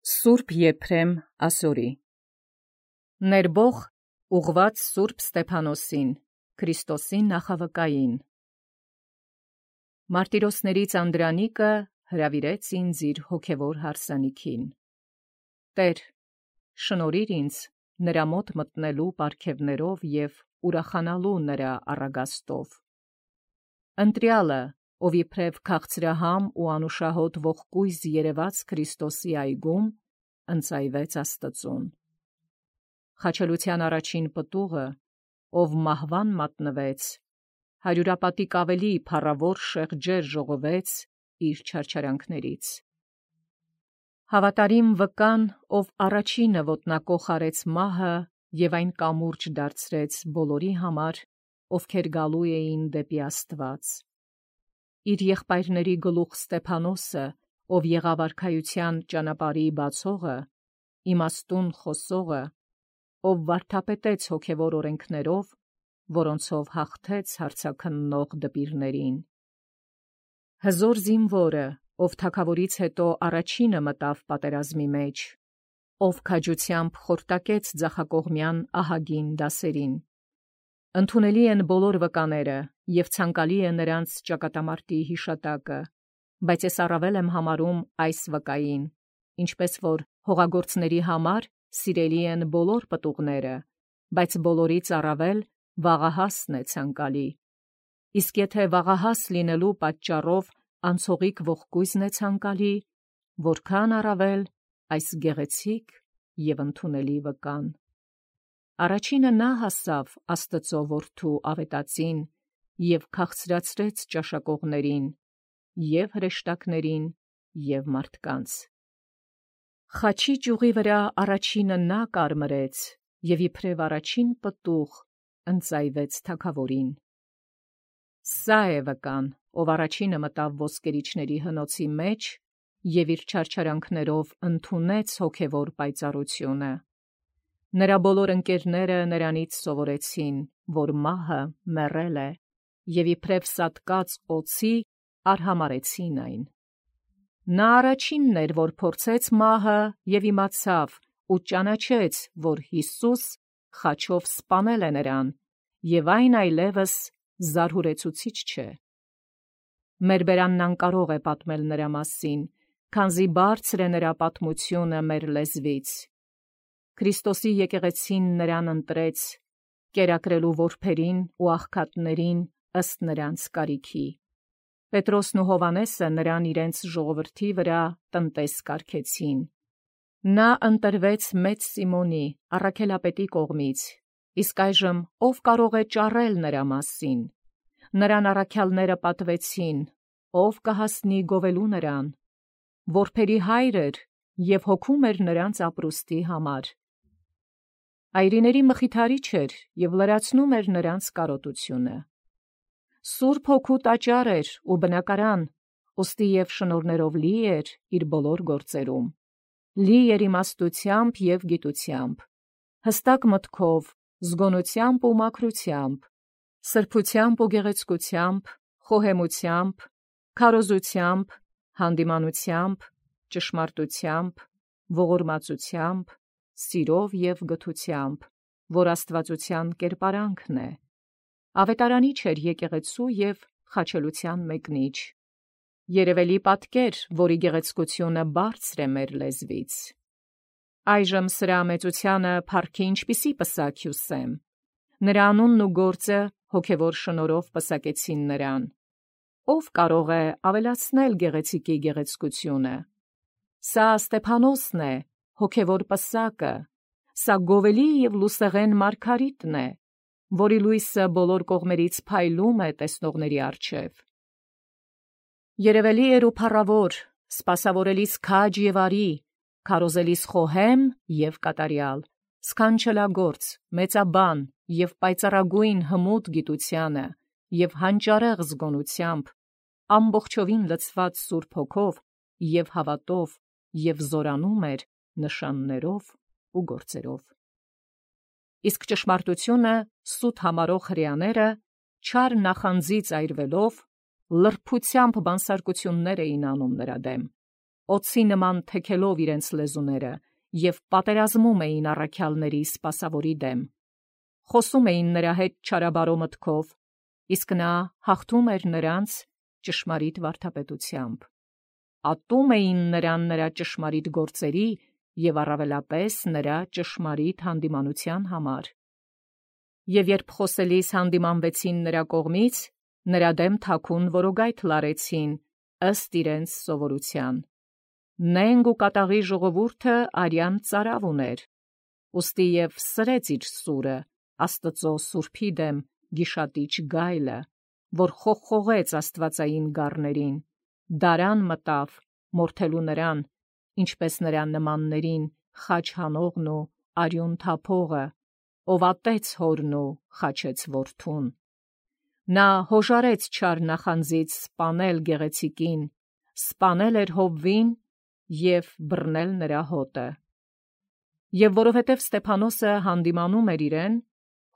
Սուրբ Եփրեմ Ասորի Ներբող ուղված Սուրբ Ստեփանոսին, Քրիստոսի նախավկային։ Մարտիրոսներից Անդրանիկը հրավիրեց ինձ իր հոգևոր հարսանիքին։ Տեր, շնորհիր ինձ նրա մոտ մտնելու պարգևներով և ուրախանալու նրա առագաստով։ Ընտրյալը, ով իբրև քաղցրահամ ու անուշահոտ ողկույզ երևաց Քրիստոսի այգում, ընծայվեց Աստծուն։ Խաչելության առաջին պտուղը, ով մահվան մատնվեց, հարյուրապատիկ ավելի փառավոր շեղջեր ժողովեց իր չարչարանքներից։ Հավատարիմ վկան, ով առաջինը ոտնակոխ արեց մահը և այն կամուրջ դարձրեց բոլորի համար, ովքեր գալու էին դեպի Աստված։ Իր եղբայրների գլուխ Ստեփանոսը, ով եղավ արքայության ճանապարհի բացողը, իմաստուն խոսողը, ով վարդապետեց հոգևոր օրենքներով, որոնցով հաղթեց հարձաքննող դպիրներին։ Հզոր զինվորը, ով թագավորից հետո առաջինը մտավ պատերազմի մեջ, ով քաջությամբ խորտակեց ձախակողմյան ահագին դասերին։ Ընդունելի են բոլոր վկաները, և ցանկալի է նրանց ճակատամարտի հիշատակը, բայց ես առավել եմ համարում այս վկային, ինչպես որ հողագործների համար սիրելի են բոլոր պտուղները, բայց բոլորից առավել վաղահասն է ցանկալի։ Իսկ եթե վաղահաս լինելու պատճառով անցողիկ ողկույզն է ցանկալի, որքան առավել այս գեղեցիկ և ընդունելի վկան։ Առաջինը նա հասավ Աստծո որդու ավետածին և քաղցրացրեց ճաշակողներին, և հրեշտակներին, և մարդկանց։ Խաչի ճյուղի վրա առաջինը նա կարմրեց, և իբրև առաջին պտուղ ընծայվեց թագավորին։ Սա է վկան, ով առաջինը մտավ ոսկերիչների հնոցի մեջ և իր չարչարանքներով ընդունեց հոգևոր պայծառությունը։ Նրա բոլոր ընկերները նրանից սովորեցին, որ մահը մեռել է, և իբրև սատկած օձի արհամարհեցին այն։ Նա առաջինն էր, որ փորձեց մահը և իմացավ ու ճանաչեց, որ Հիսուս խաչով սպանել է նրան, և այն այլևս զարհուրեցուցիչ չէ։ Մեր բերանն անկարող է պատմել նրա մասին, քանզի բարձր է նրա պատմությունը մեր լեզվից։ Քրիստոսի եկեղեցին նրան ընտրեց, կերակրելու որբերին ու աղքատներին ըստ նրանց կարիքի։ Պետրոսն ու Հովհաննեսը նրան իրենց ժողովրդի վրա տնտես կարգեցին։ Նա ընտրվեց մեծ Սիմոնի, առաքելապետի կողմից, իսկ այժմ ով կարող է ճառել նրա մասին։ Նրան առաքյալները պատվեցին, ով կհասնի գովելու նրան։ Որբերի հայր էր և հոգում էր նրանց ապրուստի համար։ Այրիների մխիթարիչ էր և լրացնում էր նրանց կարոտությունը։ Սուրբ Հոգու տաճար էր ու բնակարան, ուստի և շնորհներով լի էր իր բոլոր գործերում։ Լի էր իմաստությամբ և գիտությամբ, հստակ մտքով, զգոնությամբ ու մաքրությամբ, սրբությամբ ու գեղեցկությամբ, խոհեմությամբ, քարոզությամբ, հանդիմանությամբ, ճշմարտությամբ, ողորմածությամբ, սիրով և գթությամբ, որ աստվածության կերպարանքն է։ Ավետարանիչ էր եկեղեցու և խաչելության մեկնիչ։ Երևելի պատկեր, որի գեղեցկությունը բարձր է մեր լեզվից։ Այժմ սրա մեծությանը փառքի ինչպիսի պսակ հյուսեմ։ Նրա անունն ու գործը հոգևոր շնորհով պսակեցին նրան։ Ով կարող է ավելացնել գեղեցիկի գեղեցկությունը։ Սա Ստեփանոսն է, հոգևոր պսակը, սա գովելի և լուսեղեն մարգարիտն է, որի լույսը բոլոր կողմերից փայլում է տեսնողների առջև։ Երևելի էր ու փառավոր, սպասավորելիս քաջ և արի, քարոզելիս խոհեմ և կատարյալ, սքանչելագործ, մեծաբան և պայծառագույն հմուտ գիտությանը և հանճարեղ զգոնությամբ, ամբողջովին լցված Սուրբ Հոգով և հավատով և զորանում էր նշաններով ու գործերով։ Իսկ ճշմարտությունը սուտ համարող հրեաները, չար նախանձից այրվելով, լրբությամբ բանսարկություններ էին անում նրա դեմ։ օձի նման թեքելով իրենց լեզուները և պատերազմում էին առաքյալների սպասավորի դեմ։ Խոսում էին նրա հետ չարաբարո մտքով, իսկ նա հաղթում էր նրանց ճշմարիտ վարդապետությամբ։ Ատում էին նրան նրա ճշմարիտ գործերի և առավելապես նրա ճշմարիտ հանդիմանության համար։ Եվ երբ խոսելիս հանդիմանվեցին նրա կողմից, նրա դեմ թաքուն որոգայթ լարեցին, ըստ իրենց սովորության։ Նենգ ու կատաղի ժողովուրդը արյան ծարավ ուներ, ուստի և սրեց իր սուրը, Աստծո սուրբի դեմ գիշատիչ գայլը, որ խողխողեց աստվածային գառներին, դարան մտավ, մորթելու նրան, ինչպես նրա նմաններին խաչ հանողն ու արյուն թափողը, ով ատեց հորն ու խաչեց որդուն։ Նա հոժարեց չար նախանձից սպանել գեղեցիկին, սպանել էր Հովվին և բռնել նրա հոտը։ Եվ որովհետև Ստեփանոսը հանդիմանում էր իրեն,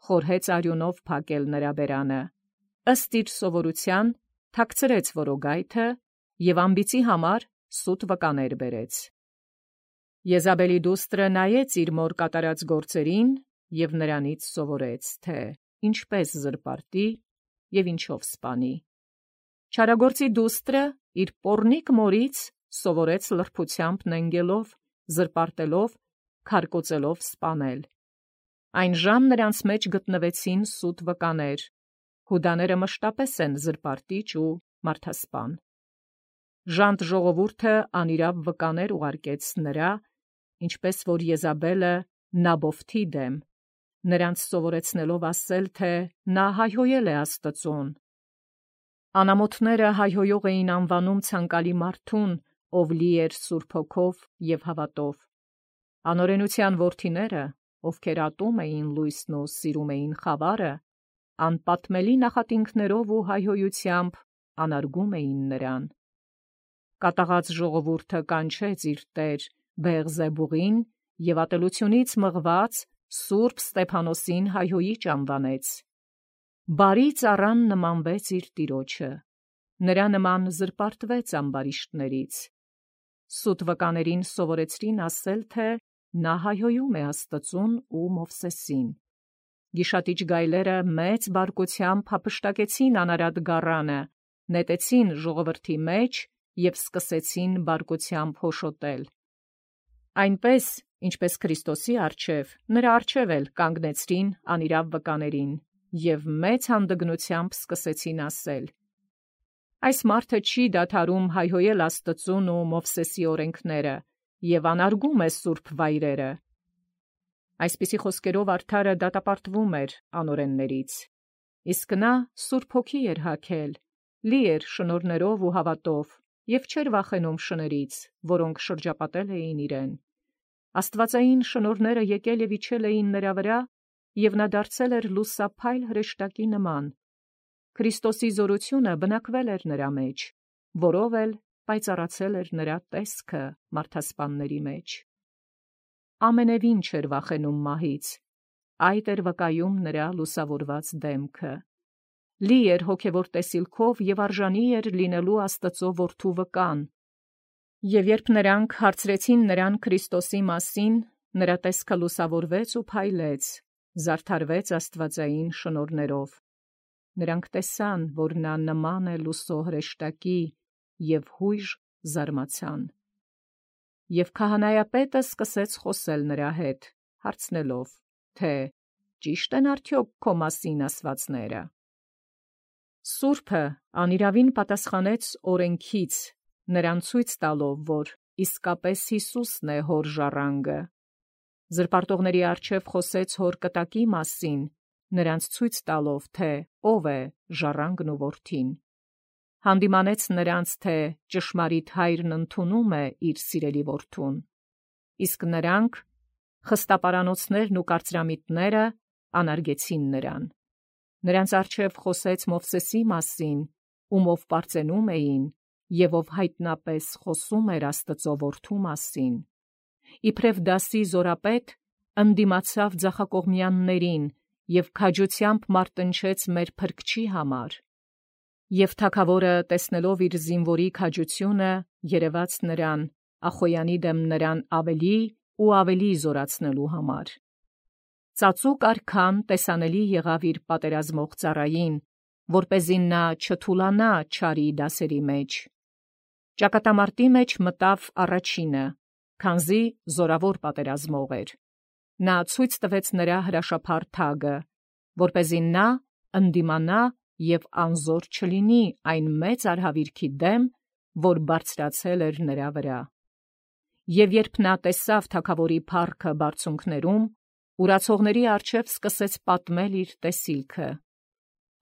խորհեց արյունով փակել նրա բերանը, ըստ իր սովորության թաքցրեց որոգայթը և անբիծի համար սուտ վկաներ բերեց։ Եզաբելի դուստրը նայեց իր մոր կատարած գործերին և նրանից սովորեց, թե ինչպես զրպարտի և ինչով սպանի։ Չարագործի դուստրը իր պոռնիկ մորից սովորեց լրբությամբ նենգելով, զրպարտելով, քարկոծելով սպանել։ Այն ժամ նրանց մեջ գտնվեցին սուտ վկաներ, հուդաները մշտապես են զրպարտիչ ու մարդասպան։ Ժանտ ժողովուրդը անիրավ վկաներ ուղարկեց նրա, ինչպես որ Եզաբելը Նաբովթի դեմ, նրանց սովորեցնելով ասել, թե նա հայհոյել է Աստծուն։ Անամոթները հայհոյող էին անվանում ցանկալի մարդուն, ով լի էր Սուրբ Հոգով և հավատով։ Անօրենության որդիները, ովքեր ատում էին լույսն ու սիրում էին խավարը, անպատմելի նախատինքներով ու հայհոյությամբ անարգում էին նրան։ Կատաղած ժողովուրդը կանչեց իր տեր Բեղզեբուղին և ատելությունից մղված Սուրբ Ստեփանոսին հայհոյիչ անվանեց։ Բարի ծառան նմանվեց իր տիրոջը, նրա նման զրպարտվեց ամբարիշտներից։ Սուտ վկաներին սովորեցրին ասել, թե նա հայհոյում է Աստծուն ու Մովսեսին։ Գիշատիչ գայլերը մեծ բարկությամբ հափշտակեցին անարատ գառանը, նետեցին ժողովրդի մեջ և սկսեցին բարկությամբ հոշոտել։ Այնպես, ինչպես Քրիստոսի առջև, նրա առջև էլ կանգնեցրին անիրավ վկաներին և մեծ հանդգնությամբ սկսեցին ասել. «Այս մարդը չի դադարում հայհոյել Աստծուն ու Մովսեսի օրենքները և անարգում է սուրբ վայրերը»։ Այսպիսի խոսքերով արդարը դատապարտվում էր անօրեններից, իսկ նա Սուրբ Հոգի էր հագել, լի էր շնորհներով ու հավատով և չէր վախենում շներից, որոնք շրջապատել էին իրեն։ Աստվածային շնորհները եկել և իջել էին նրա վրա, և նա դարձել էր լուսափայլ հրեշտակի նման։ Քրիստոսի զորությունը բնակվել էր նրա մեջ, որով էլ պայծառացել էր նրա տեսքը մարդասպանների մեջ։ Ամենևին չէր վախենում մահից, այդ էր վկայում նրա լուսավորված դեմքը։ Լի էր հոգևոր տեսիլքով և արժանի էր լինելու Աստծո որդու վկան։ Եվ երբ նրանք հարցրեցին նրան Քրիստոսի մասին, նրա տեսքը լուսավորվեց ու փայլեց, զարդարվեց աստվածային շնորհներով։ Նրանք տեսան, որ նա նման է լուսո հրեշտակի, և հույժ զարմացան։ Եվ քահանայապետը սկսեց խոսել նրա հետ, հարցնելով, թե ճի՞շտ են արդյոք քո մասին ասվածները։ Սուրբը անիրավին պատասխանեց օրենքից, նրան ցույց տալով, որ իսկապես Հիսուսն է հոր ժառանգը։ Զրպարտողների առջև խոսեց հոր կտակի մասին, նրանց ցույց տալով, թե ով է ժառանգն ու որդին։ Հանդիմանեց նրանց, թե ճշմարիտ Հայրն ընդունում է իր սիրելի որդուն, իսկ նրանք, խստապարանոցներն ու կարծրամիտները, անարգեցին նրան։ Նրանց առջև խոսեց Մովսեսի մասին, ումով պարծենում էին, և ով հայտնապես խոսում էր Աստծո որդու մասին։ Իբրև դասի զորապետ ընդդիմացավ ձախակողմյաններին և քաջությամբ մարտնչեց մեր Փրկչի համար։ Եվ թագավորը, տեսնելով իր զինվորի քաջությունը, երևաց նրան, Ախոյանի դեմ նրան ավելի ու ավելի զորացնելու համար։ Ծածուկ արքան տեսանելի եղավ իր պատերազմող ծառային, որպեսզի նա չթուլանա չարի դասերի մեջ։ Ճակատամարտի մեջ մտավ առաջինը, քանզի զորավոր պատերազմող էր։ Նա ցույց տվեց նրա հրաշափառ թագը, որպեսզի նա ընդդիմանա և անզոր չլինի այն մեծ արհավիրքի դեմ, որ բարձրացել էր նրա վրա։ Եվ երբ նա տեսավ թագավորի փառքը բարձունքներում, ուրացողների առջև սկսեց պատմել իր տեսիլքը.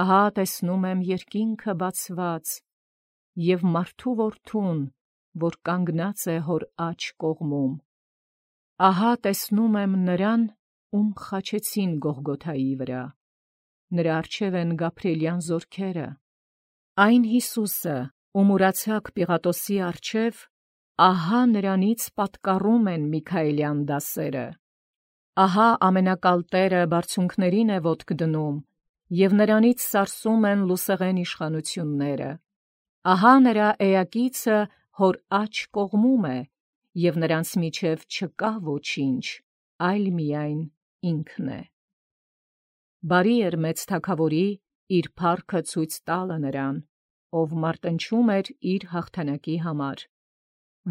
«Ահա տեսնում եմ երկինքը բացված, և մարդու որդուն, որ կանգնած է հոր աջ կողմում։ Ահա տեսնում եմ նրան, ում խաչեցին Գողգոթայի վրա. նրա առջև են Գաբրիելյան զորքերը, այն Յիսուսը, ում ուրացակ Պիղատոսի առջև, ահա նրանից պատկառում են Միքայելյան դասերը։ Ահա ամենակալ Տերը բարձունքներին է ոտք դնում, և նրանից սարսում են լուսեղեն իշխանությունները։ Ահա նրա էակիցը հոր աջ կողմում է, և նրանց միջև չկա ոչինչ, այլ միայն ինքն է»։ Բարի էր մեծ թագավորի իր փառքը ցույց տալը նրան, ով մարտնչում էր իր հաղթանակի համար։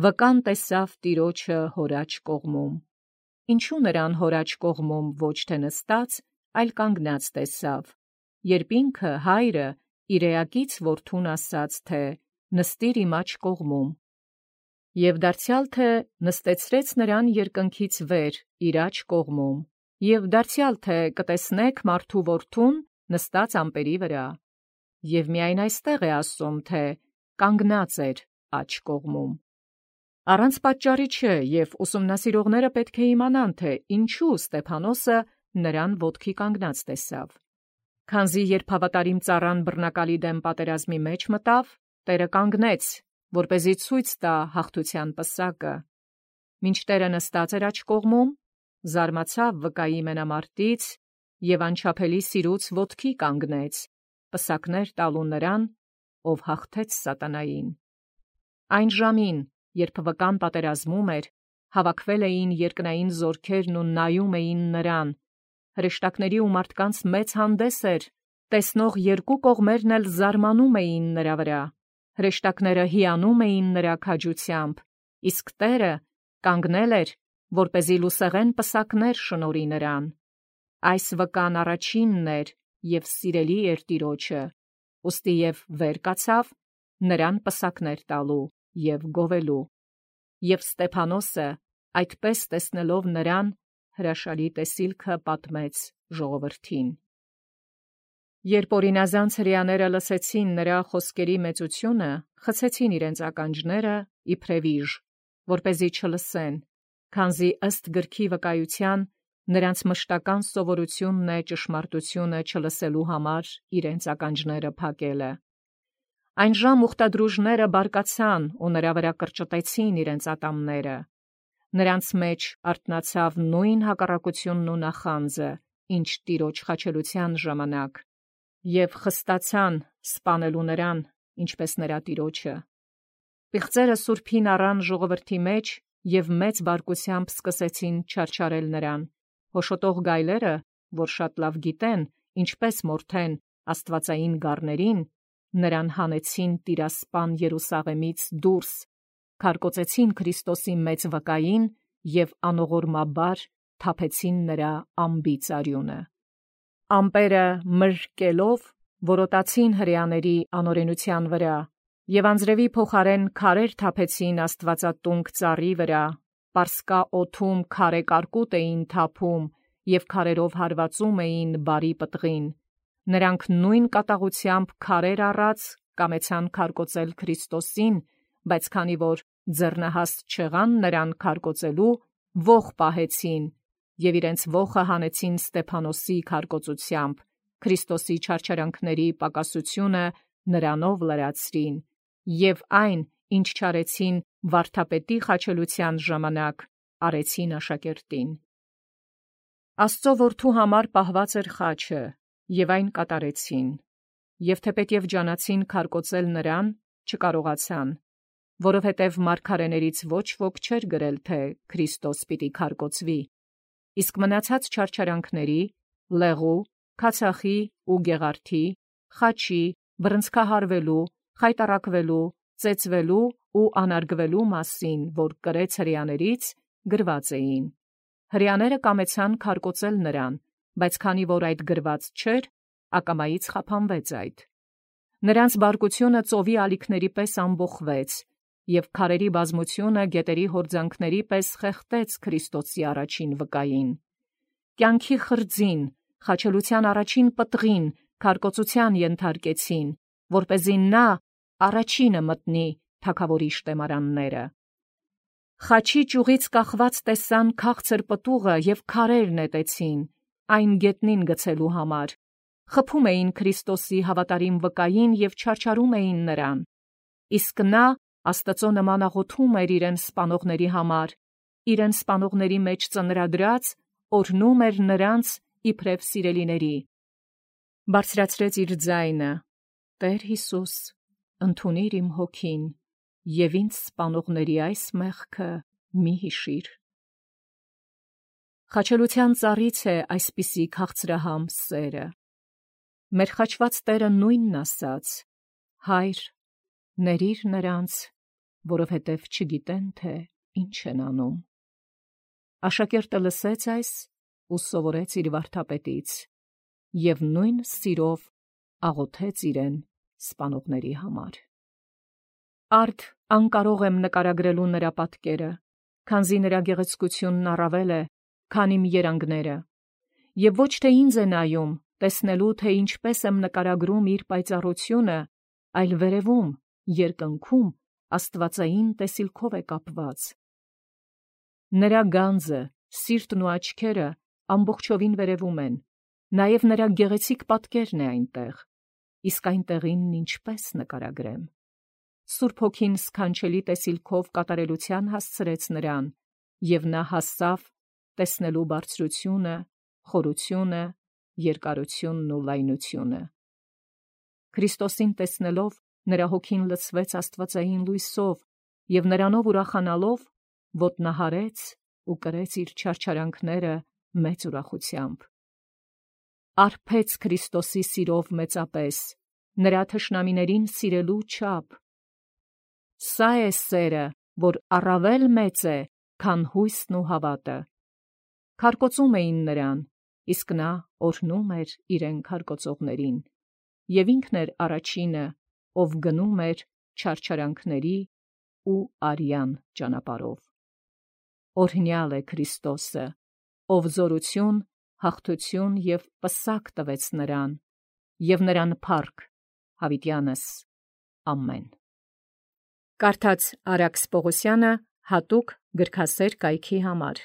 Վկան տեսավ Տիրոջը հոր աջ կողմում։ Ինչու նրան հոր աջ կողմում ոչ թե նստած, այլ կանգնած տեսավ, երբ ինքը հայրը իր էակից որդուն ասաց, թե նստիր իմ աջ կողմում, և դարձյալ թե նստեցրեց նրան երկնքից վեր իր աջ կողմում, և դարձյալ թե կտեսնեք մարդու որդուն նստած ամպերի վրա, և միայն այստեղ է ասում, թե կանգնած էր աջ կողմում։ Առանց պատճառի չէ, և ուսումնասիրողները պետք է իմանան, թե ինչու Ստեփանոսը նրան ոտքի կանգնած տեսավ։ Քանզի երբ հավատարիմ ծառան բռնակալի դեմ պատերազմի մեջ մտավ, Տերը կանգնեց, որպեսզի ցույց տա հաղթության պսակը։ Մինչ Տերը նստած էր աջ կողմում, զարմացավ վկայի մենամարտից և անչափելի սիրուց ոտքի կանգնեց, պսակներ տալու նրան, ով հաղթեց սատանային։ Այն ժամին, երբ վկան պատերազմում էր, հավաքվել էին երկնային զորքերն ու նայում էին նրան։ Հրեշտակների ու մարդկանց մեծ հանդես էր, տեսնող երկու կողմերն էլ զարմանում էին նրա վրա։ Հրեշտակները հիանում էին նրա քաջությամբ, իսկ Տերը կանգնել էր, որպեսզի լուսեղեն պսակներ շնորհի նրան։ Այս վկան առաջինն էր և սիրելի էր Տիրոջը, ուստի և վեր կացավ նրան պսակներ տալու և գովելու։ Եվ Ստեփանոսը, այդպես տեսնելով նրան, հրաշալի տեսիլքը պատմեց ժողովրդին։ Երբ օրինազանց հրեաները լսեցին նրա խոսքերի մեծությունը, խցեցին իրենց ականջները իբրև իժ, որպեսզի չլսեն, քանզի ըստ գրքի վկայության նրանց մշտական սովորությունն է ճշմարտությունը չլսելու համար իրենց ականջները փակելը։ Այն ժամ ուխտադրուժները բարկացան ու նրա վրա կրճտեցին իրենց ատամները։ Նրանց մեջ արթնացավ նույն հակառակությունն ու նախանձը, ինչ Տիրոջ խաչելության ժամանակ, և խստացան սպանելու նրան, ինչպես նրա Տիրոջը։ Պիղծերը սուրբին առան ժողովրդի մեջ և մեծ բարկությամբ սկսեցին չարչարել նրան։ Հոշոտող գայլերը, որ շատ լավ գիտեն, ինչպես մորթեն աստվածային գառներին, նրան հանեցին տիրասպան Երուսաղեմից դուրս, քարկոծեցին Քրիստոսի մեծ վկային և անողորմաբար թափեցին նրա անբիծ արյունը։ Ամպերը մրրկելով որոտացին հրեաների անօրենության վրա, և անձրևի փոխարեն քարեր թափեցին աստվածատունկ ծառի վրա, Պարսկա օդում քարե կարկուտ էին թափում և քարերով հարվածում էին բարի պտղին։ Նրանք նույն կատաղությամբ քարեր առած կամեցան քարկոծել Քրիստոսին, բայց քանի որ ձեռնահաստ չեղան նրան քարկոծելու, ոխ պահեցին և իրենց ոխը հանեցին Ստեփանոսի քարկոծությամբ, Քրիստոսի չարչարանքների պակասությունը նրանով լրացրին, և այն, ինչ չարեցին վարդապետի խաչելության ժամանակ, արեցին աշակերտին։ Աստծո որդու համար պահված էր խաչը, և այն կատարեցին, և թեպետև ջանացին քարկոծել նրան, չկարողացան, որովհետև մարգարեներից ոչ ոք չէր գրել, թե Քրիստոս պիտի քարկոծվի, իսկ մնացած չարչարանքների, լեղու, քացախի ու գեղարդի, խաչի, բռնցքահարվելու, խայտառակվելու, ծեծվելու ու անարգվելու մասին, որ կրեց հրեաներից, գրված էին։ Հրեաները կամեցան քարկոծել նրան, բայց քանի որ այդ գրված չէր, ակամայից խափանվեց այդ։ Նրանց բարկությունը ծովի ալիքների պես ամբոխվեց, և քարերի բազմությունը գետերի հորձանքների պես խեղդեց Քրիստոսի առաջին վկային։ Կյանքի խրձին, խաչելության առաջին պտղին քարկոծության ենթարկեցին, որպեսզի նա առաջինը մտնի թագավորի շտեմարանները։ Խաչի ճյուղից կախված տեսան քաղցր պտուղը և քարեր նետեցին, այն գետնին գցելու համար, խփում էին Քրիստոսի հավատարիմ վկային և չարչարում էին նրան, իսկ նա Աստծո նման աղոթում էր իրեն սպանողների համար, իրեն սպանողների մեջ ծնրադրած, օրհնում էր նրանց իբրև սիրելիների։ Բարձրացրեց իր ձայնը. «Տեր Հիսուս, ընդունիր իմ հոգին, և ինձ սպանողների այս մեղքը մի հիշիր»։ Խաչելության ծառից է այսպիսի քաղցրահամ սերը։ Մեր խաչված Տերը նույնն ասաց. «Հայր, ներիր նրանց, որովհետև չգիտեն, թե ինչ են անում»։ Աշակերտը լսեց այս ու սովորեց իր վարդապետից, և նույն սիրով աղոթեց իրեն սպանողների համար։ Արդ անկարող եմ նկարագրելու նրա պատկերը, քանզի նրա գեղեցկությունն առավել է, քան իմ երանգները, և ոչ թե ինձ է նայում, տեսնելու, թե ինչպես եմ նկարագրում իր պայծառությունը, այլ վերևում, երկնքում աստվածային տեսիլքով է կապված։ Նրա գանձը, սիրտն ու աչքերը ամբողջովին վերևում են, նաև նրա գեղեցիկ պատկերն է այնտեղ, իսկ այնտեղինն ինչպես նկարագրեմ։ Սուրբ Հոգին սքանչելի տեսիլքով կատարելության հասցրեց նրան, և նա հասավ տեսնելու բարձրությունը, խորությունը, երկարությունն ու լայնությունը։ Քրիստոսին տեսնելով, նրա հոգին լցվեց աստվածային լույսով, և նրանով ուրախանալով ոտնահարեց ու կրեց իր չարչարանքները մեծ ուրախությամբ։ Արբեց Քրիստոսի սիրով մեծապես, նրա թշնամիներին սիրելու չափ։ Սա է սերը, որ առավել մեծ է, քան հույսն ու հավատը։ Քարկոծում էին նրան, իսկ նա օրհնում էր իրեն քարկոծողներին, և ինքն էր առաջինը, ով գնում էր չարչարանքների ու արյան ճանապարհով։ Օրհնյալ է Քրիստոսը, ով զորություն, հաղթություն և պսակ տվեց նրան, և նրան փառք հավիտյանս։ Ամեն։ Կարդաց Արաքս Պողոսյանը հատուկ գրքասեր կայքի համար։